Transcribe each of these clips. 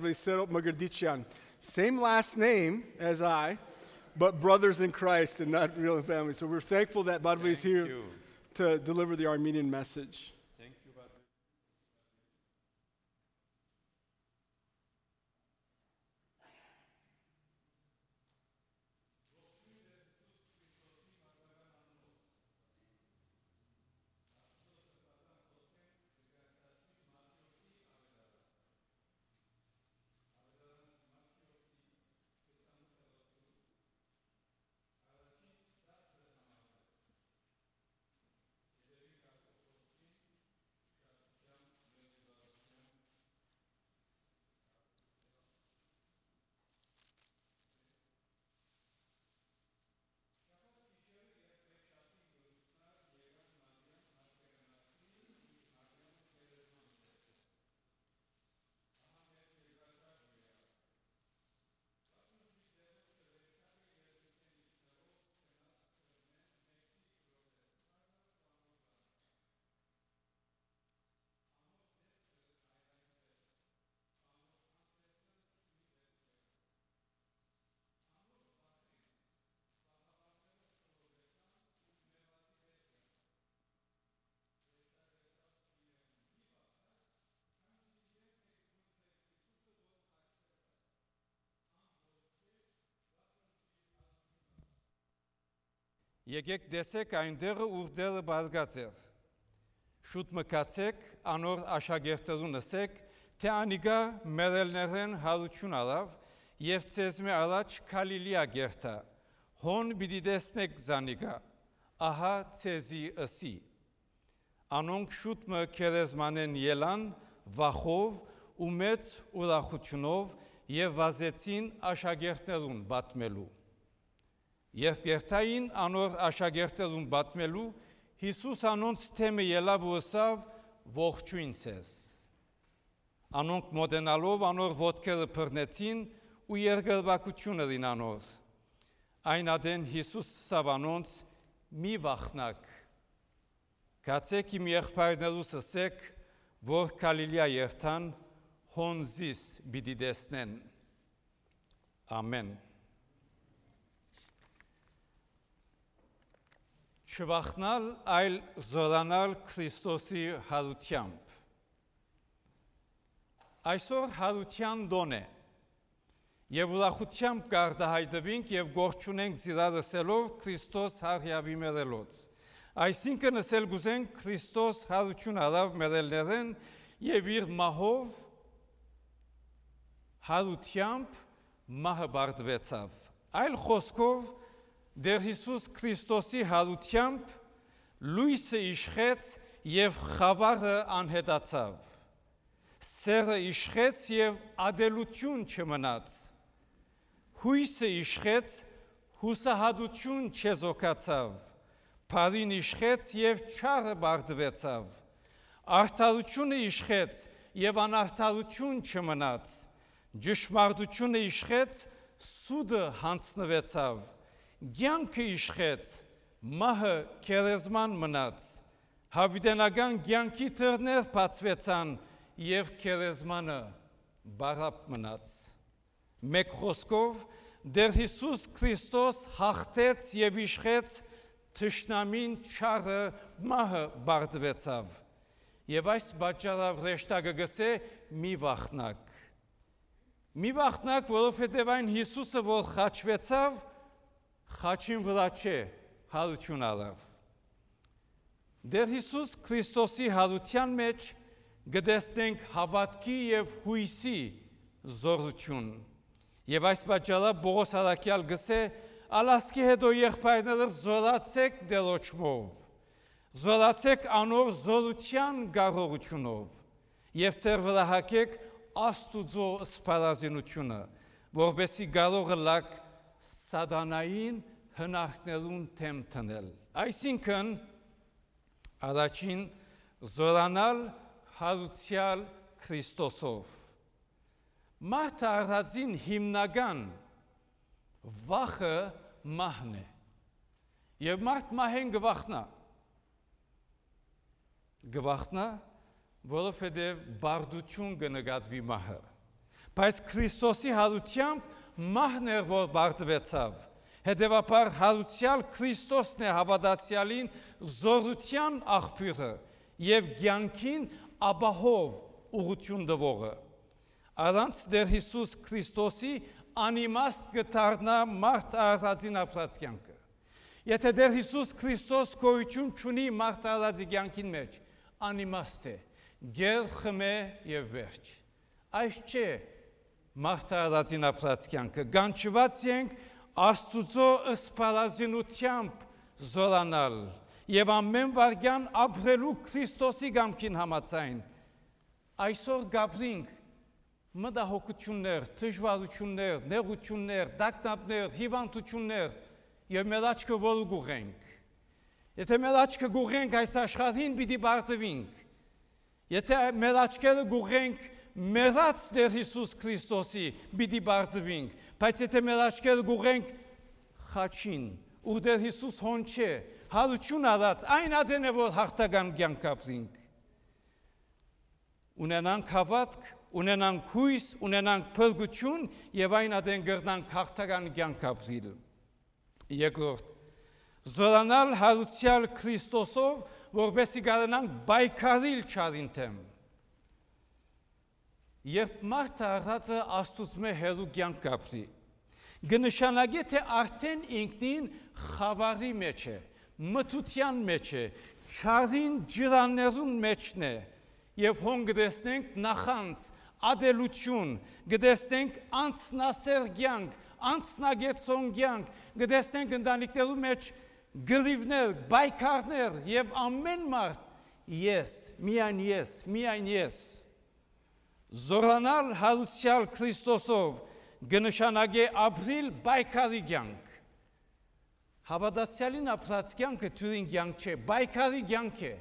Serop Magardicyan. Same last name as I, but brothers in Christ and not real family. So we're thankful that Badvi is here to deliver the Armenian message. Thank you, Badvi. Եկեք տեսեք այնտեղը ուր դերը բարգած էր։ Շուտ մկացեք, անոր աշակերտերուն ասեք, թե անիգա մերելներեն հարություն արավ եւ ցեզ մե առաջ Գալիլեա գերտա։ Հոն պիտի տեսնեք զանիգա, ահա ցեզի ըսի։ Անոնք շուտ մը քերեզմանեն ելան վախով ու մեծ ուրախությունով եւ վազեցին աշակերտերուն պատմելու։ Երբ երթային անոր աշակերտերուն պատմելու, Հիսուս անոնց թեմը ելավ ու ասավ ողջույն ցեզ։ Անոնք մոտենալով անոր ոտքերը բռնեցին ու երկրպագություն ըրին անոր։ Այն ադեն Հիսուս ասավ անոնց մի վախնակ։ Գացեք իմ եղբայրներուս ասեք, որ Գալիլեա երթան, հոն զիս պիտի տեսնեն։ Ամեն։ Չվախնալ, այլ զորանալ Քրիստոսի հարությամբ։ Այսօր հարության դոն է, եւ ուրախությամբ կարտահայտվենք եւ գործունենք զիրարսելով Քրիստոս հարյավի մերելոց։ Այսինքն ասել գուզենք Քրիստոս հարություն արավ մերելներեն եւ իր մահով հարությամբ մահը բարձվեցավ։ Այլ խոսքով Դեր Հիսուս Քրիստոսի հարությամբ լույսը իշխեց եւ խավարը անհետացավ։ Սերը իշխեց եւ ադելություն չմնաց։ Հույսը իշխեց, հուսահատություն չեզոքացավ։ Փարին իշխեց եւ չարը բարձվեցավ։ Արդարությունը իշխեց եւ անարդարություն չմնաց։ Ճշմարտությունը իշխեց, սուդը հանձնվեցավ։ Գյանքը իշխեց, մահը քերեզման մնաց, հավիտենական գյանքի դռներ բացվեցան եւ քերեզմանը բարապ մնաց։ Մեկ խոսքով Դեր Հիսուս Քրիստոս հաղթեց եւ իշխեց թշնամին չարը մահը բարձվեցավ։ Եվ այս պատճառով ռեշտակը գսե մի վախնակ։ Մի վախնակ, որովհետեւ այն Հիսուսը, որ խաչվեցավ, խաչին վրա չէ, հարություն արավ։ Դեր Հիսուս Քրիստոսի հարության մեջ գտեսնենք հավատքի եւ հույսի զորություն։ Եվ այս պատճառով Պողոս առաքյալ գսե, «Ալասկի հետո եղբայրները զորացեք դերոճմով, զորացեք անոր զորության կարողությունով եւ ձեր վրա հագեք Աստուծո սպառազինությունը, որովհետեւ կարող լակ սատանային հնարքներուն թեմ տնել։ Այսինքն առաջին զորանալ հարուցյալ Քրիստոսով։ Մարդը առածին հիմնական վախը մահն է։ Եվ մարդ մահեն գվախնա։ Գվախնա, որովհետև բարդություն կնկատվի մահը։ Բայց Քրիստոսի հարությամբ մահն էր, որ բարձվեցավ։ Հետևաբար հարուցյալ Քրիստոսն է հավատացյալին զորության աղբյուրը եւ կյանքին ապահով ուղղություն տվողը։ Առանց Տեր Հիսուս Քրիստոսի անիմաստ կդառնա մարդ արածին ապրած կյանքը։ Եթե Տեր Հիսուս Քրիստոս գոյություն չունի մարդ արածի կյանքին մեջ, անիմաստ է, գեր խմե եւ վերջ։ Այս չէ մարդ արածին ապրած կյանքը։ Գանչված ենք Աստուծո ըսպարազինությամբ զորանալ եւ ամեն վարքյան ապրելու Քրիստոսի կամքին համաձայն։ Այսօր գաբրինք մտահոգություններ, դժվարություններ, նեղություններ, դակնապներ, հիվանդություններ եւ մեր աչքը որ գուղենք։ Եթե մեր աչքը գուղենք այս աշխարհին պիտի բարձվենք։ Եթե մեր աչքերը գուղենք մեռած Տեր Հիսուս Քրիստոսի պիտի բարձվենք, բայց եթե մեր աչքերը գուղենք խաչին, ու Տեր Հիսուս հոն չէ, հարություն արած, այն ադեն է, որ հաղթական կյանք ապրենք։ Ունենանք հավատք, ունենանք հույս, ունենանք փրկություն եւ այն ադեն կրնանք հաղթական կյանք ապրել։ Երկրորդ, զորանալ հարուցյալ Քրիստոսով, որպեսզի կարողանանք պայքարել չարին դեմ։ Երբ մարդը առածը Աստծո հերու կյանք ապրի, կնշանակի թե արդեն ինքնին խավարի մեջ է, մթության մեջ է, չարին ջրաներուն մեջն է, եւ հոն գտեսնենք նախանց, ադելություն, գտեսնենք անցնասեր կյանք, անցնագեցոն կյանք, գտեսնենք ընտանիքներու մեջ գրիվներ, բայկարներ եւ ամեն մարդ միայն ես։ Զորանալ հարուցյալ Քրիստոսով կնշանակի ապրիլ բայկարի կյանք։ Հավատացյալին ապրած կյանքը թյուրին կյանք չէ, բայկարի կյանք է։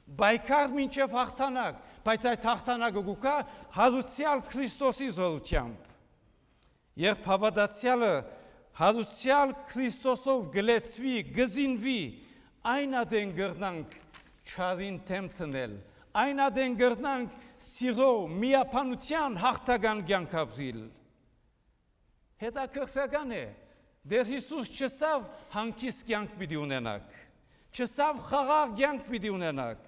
Բայկար մինչև հաղթանակ, բայց այդ հաղթանակը գուկա հարուցյալ Քրիստոսի զորությամբ։ Երբ հավատացյալը հարուցյալ Քրիստոսով գլեցվի, գզինվի, այն ադեն գրնանք չարին թեմ տնել, այն ադեն գրնանք սիրո, միապանության հաղթական կյանք ապրիլ։ Հետաքրքրական է, Տեր Հիսուս չսավ հանգիստ կյանք պիտի ունենաք, չսավ խաղաղ կյանք պիտի ունենաք,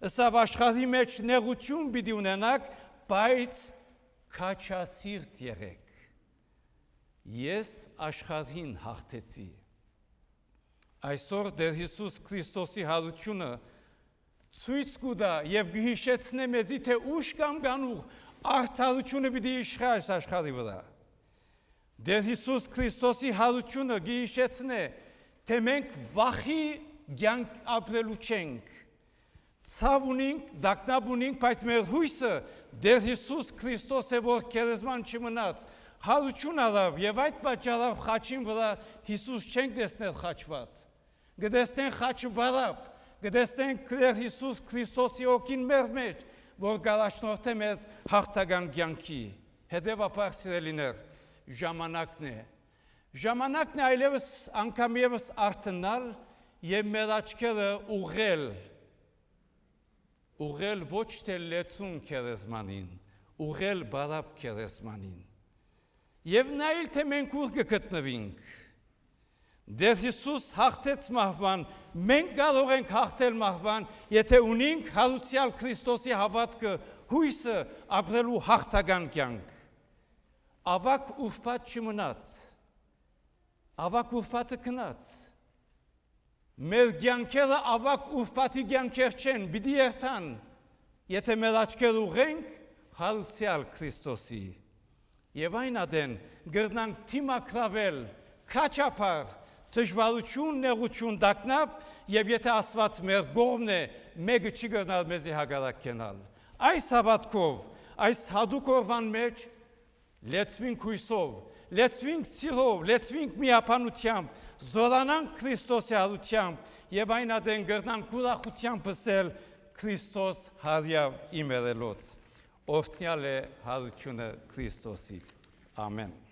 ըսավ աշխարհի մեջ նեղություն պիտի ունենաք, բայց քաջասիրտ եղեք։ Ես աշխարհին հաղթեցի։ Այսօր Տեր Հիսուս Քրիստոսի հարությունը ցույց կտա եւ կհիշեցնե մեզի թե ուշ կամ գանուղ արդարությունը պիտի իշխա այս աշխարհի վրա։ Տեր Հիսուս Քրիստոսի հարությունը կհիշեցնե թե մենք վախի կյանք ապրելու չենք։ Ցավ ունենք, դակնապ ունենք, բայց մեր հույսը Տեր Հիսուս Քրիստոս է, որ քերեզման չմնաց։ Հարություն արավ եւ այդ պատճառով խաչին վրա Հիսուս չենք տեսնել խաչված։ Գտեսնենք խաչը բարապ, գտեսնենք Տեր Հիսուս Քրիստոսի օգին մեր մեջ, որ գալաշնորհ մեզ հաղթական կյանքի։ Հետևաբար սիրելիներ, ժամանակն է այլևս անգամ եւս արթնալ եւ մեր աչքերը ուղղել ոչ թե լեցուն քերեզմանին, ուղղել բարապ քերեզմանին։ Եվ նայել թե մենք ուր կգտնվենք։ Տեր Հիսուս հաղթեց մահվան, մենք կարող ենք հաղթել մահվան, եթե ունենք հարուցյալ Քրիստոսի հավատքը, հույսը ապրելու հաղթական կյանք։ Ավակ ուրբաթ չմնաց, ավակ ուրբաթը գնաց։ Մեր կյանքերը ավակ ուրբաթի կյանքեր չեն, պիտի երթան, եթե մեր աչքերը ուղղենք հարուցյալ Քրիստոսի։ Եվ այն ադեն գրնանք թիմակրավել, քաչապար, դժվարություն, նեղություն, դակնապ, եւ եթե Աստված մեր կողմն է, մեկը չի գրնալ մեզի հակառակ կենալ։ Այս հավատքով, այս հատուկ օրվան մեջ լեցվինք հույսով, լեցվինք սիրով, լեցվինք միապանությամբ, զորանանք Քրիստոսի հարությամբ եւ այն ադեն գրնանք ուրախությամբ ասել Քրիստոս հարյավ իմերելոց։ Օրհնյալ է հարությունը Քրիստոսի։ Ամեն։